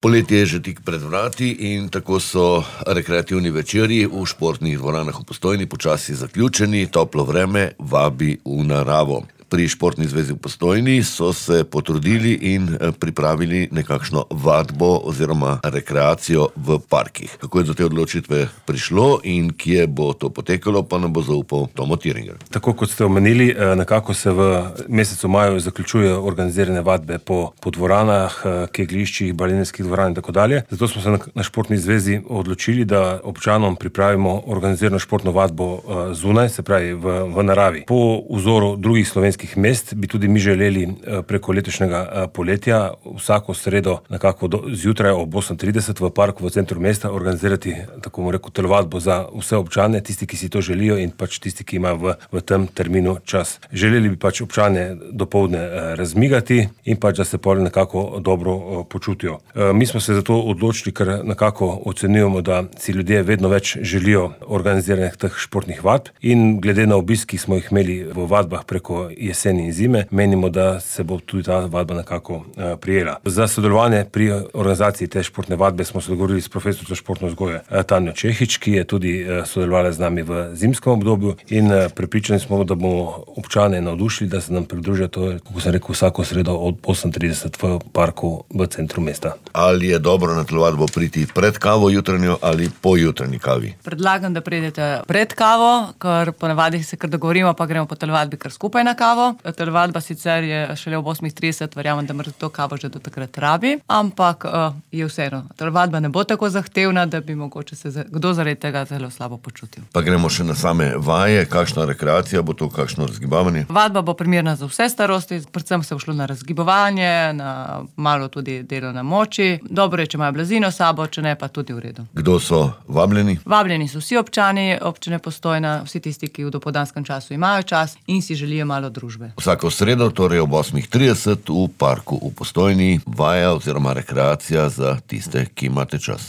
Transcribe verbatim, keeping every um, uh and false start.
Poletje je že tik pred vrati in tako so rekreativni večeri v športnih dvoranah v Postojni počasi zaključeni, toplo vreme vabi v naravo. Pri Športni zvezi v Postojni so se potrudili in pripravili nekakšno vadbo oziroma rekreacijo v parkih. Kako je do te odločitve prišlo in kje bo to potekalo, pa nam bo zaupal Tomo Tiringer. Tako kot ste omenili, nekako se v mesecu maju zaključujejo organizirane vadbe po, po dvoranah, kegljiščih, balenskih dvoran in tako dalje. Zato smo se na, na Športni zvezi odločili, da občanom pripravimo organizirano športno vadbo zunaj, se pravi v, v naravi. Po vzoru drugih slovenskih mest bi tudi mi želeli preko letošnjega poletja vsako sredo nekako do, zjutraj ob osem trideset v parku v centru mesta organizirati, tako bomo rekel, telovadbo za vse občane, tisti, ki si to želijo in pač tisti, ki imajo v, v tem terminu čas. Želeli bi pač občane dopoldne razmigati in pač, da se pol nekako dobro počutijo. Mi smo se zato odločili, ker nekako ocenjujemo, da si ljudje vedno več želijo organiziranih teh športnih vadb in glede na obisk, ki smo jih imeli v vadbah preko jeseni in zime, menimo, da se bo tudi ta vadba nekako uh, prijela. Za sodelovanje pri organizaciji te športne vadbe smo se dogovorili s profesorico športne vzgoje uh, Tanjo Čehič, ki je tudi uh, sodelovala z nami v zimskem obdobju in uh, prepričani smo, da bomo občane navdušili, da se nam pridružijo, to je, kako sem rekel, vsako sredo od osem trideset v parku v centru mesta. Ali je dobro na telovadbo priti pred kavo jutranjo ali po jutranji kavi? Predlagam, da pridete pred kavo, ker ponavadi se kar dogovorimo, pa gremo po telovadbi kar skupaj na kavo. Telovadba sicer je šele ob osem trideset, verjamem, da morate to kavo že do takrat rabi, ampak uh, je vseeno. Telovadba ne bo tako zahtevna, da bi mogoče se za, kdo zaradi tega zelo slabo počutil. Pa gremo še na same vaje, kakšna rekreacija bo to, kakšno razgibavanje? Vadba bo primerna za vse starosti, predvsem se bo šlo na razgibovanje, na malo tudi delo na moči. Dobro je, če imajo blazino s sabo, če ne, pa tudi v redu. Kdo so vabljeni? Vabljeni so vsi občani občine Postojna, vsi tisti, ki v dopoldanskem času imajo čas in si želijo malo družbe. Vsako sredo, torej ob osem trideset v parku v Postojni, vaja oziroma rekreacija za tiste, ki imate čas.